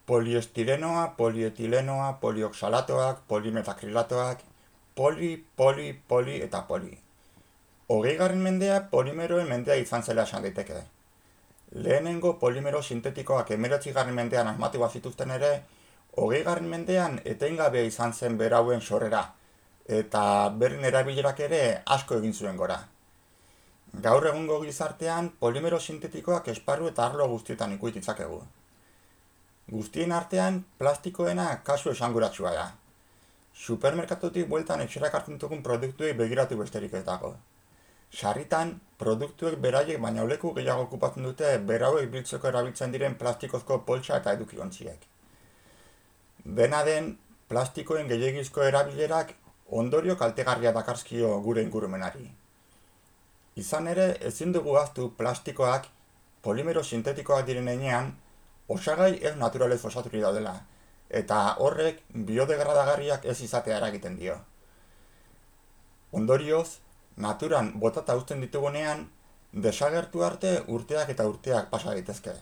poliestirenoa, polietilenoa, polioxalatoak, polimetakrilatoak, poli eta poli. 20. mendea polimeroen mendea izan zela esan daiteke. Lehenengo polimero sintetikoak 19. mendean asmatu bazituzten ere, 20. mendean etengabea izan zen berauen sorrera, eta beren erabilerak ere asko egin zuen gora. Gaur egungo gizartean polimero sintetikoak esparru eta arlo guztietan ikusi ditzakegu. Guztien artean plastikoena kasu esanguratsua da. Supermerkatutik bueltan etxerak hartzen dugun produktuei begiratu besterik ez dago. Sarritan, produktuek beraiek baina leku gehiago okupatzen dute berauek biltzeko erabiltzen diren plastikozko poltsa eta edukiontziek. Dena den, plastikoen gehiegizko erabilerak ondorio kaltegarria dakarzkio gure ingurumenari. Izan ere, ezin dugu ahaztu plastikoak polimero sintetikoak diren heinean, osagai ez naturalez osaturik daudela, eta horrek biodegradagarriak ez izatea eragiten dio. Ondorioz, naturan botata uzten ditugunean, desagertu arte urteak eta urteak pasa daitezke.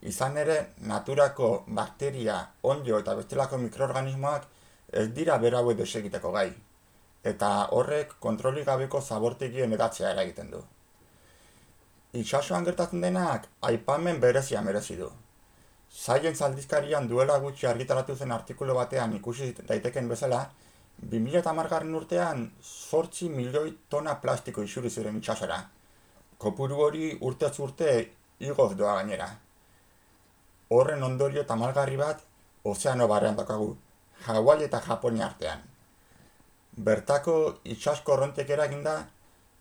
Izan ere, naturako bakteria, onddo eta bestelako mikroorganismoak ez dira berauek desegiteko gai, eta horrek kontrolik gabeko zabortegien edatzea eragiten du. Itsasoan gertatzen denak aipamen berezia merezi du. Science aldizkarian duela gutxi argitaratu zen artikulu batean ikusi daiteken bezala, 2010. urtean 8 milioi tona plastiko isuri ziren itsasora. Kopuru hori urtez urte igoz doa gainera. Horren ondorio tamalgarri bat ozeano barrean daukagu, Hawaii eta Japonia artean. Bertako itsas korrontek eraginda,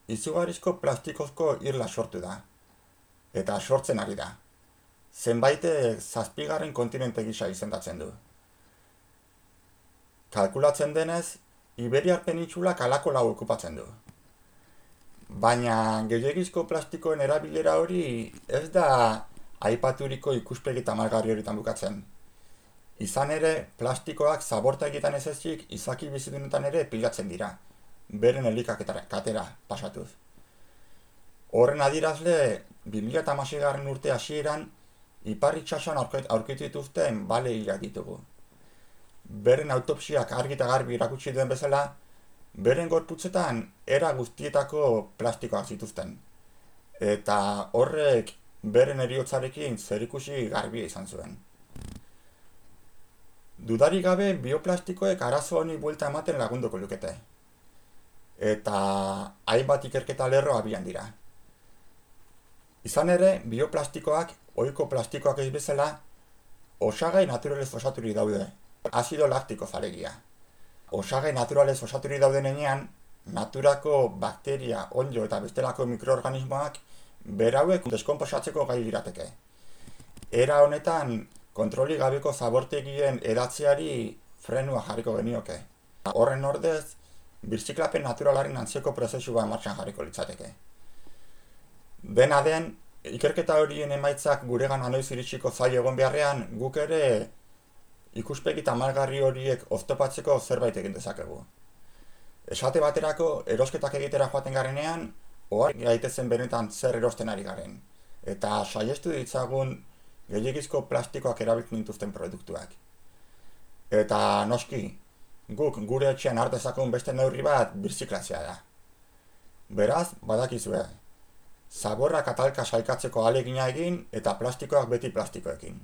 izugarrizko plastikozko irla sortu da. Eta sortzen ari da. Zenbaitek 7. kontinente gisa izendatzen du. Kalkulatzen denez, Iberiar penintsulak halako lau okupatzen du. Baina gehiegizko plastikoen erabilera hori ez da aipaturiko ikuspegi tamalgarri horitan bukatzen. Izan ere, plastikoak zabortegietan ez ezik izaki bizidunetan ere pilatzen dira, beren elikakatera pasatuz. Horren adierazle, 2016. urte hasieran, ipar itsasoan aurkitu dituzten bale hilak ditugu. Beren autopsiak argi eta garbi erakutsi duen bezala, beren gorputzetan era guztietako plastikoak zituzten. Eta horrek beren heriotzarekin zerikusi garbia izan zuen. Dudarik gabe bioplastikoek arazo honi buelta ematen lagunduko lukete. Eta hainbat ikerketa lerro abian dira. Izan ere, bioplastikoak, ohiko plastikoak ez bezala, osagai naturalez osaturik daude, azido laktiko zalegia. Osagai naturalez osaturik dauden heinean, naturako bakteria, onddo eta bestelako mikroorganismoak berauek deskonposatzeko gai lirateke. Era honetan, kontrolik gabeko zabortegien edatzeari frenua jarriko genioke. Horren ordez, birziklapen naturalaren antzeko prozesua martxan jarriko litzateke. Dena den, ikerketa horien emaitzak guregan anoiz iritsiko zaila egon beharrean, guk ere ikuspegi tamalgarri horiek oztopatzeko zerbait egin dezakegu. Esate baterako, erosketak egitera joaten garenean, ohar gaitezen benetan zer erosten ari garen, eta saiestu ditzagun gehiegizko plastikoak erabiltzen dituzten produktuak. Eta noski, guk gure etxean har dezakegun beste neurri bat birziklatzea da. Beraz, badakizue, zaborrak atalka sailkatzeko ahalegina egin eta plastikoak beti plastikoekin.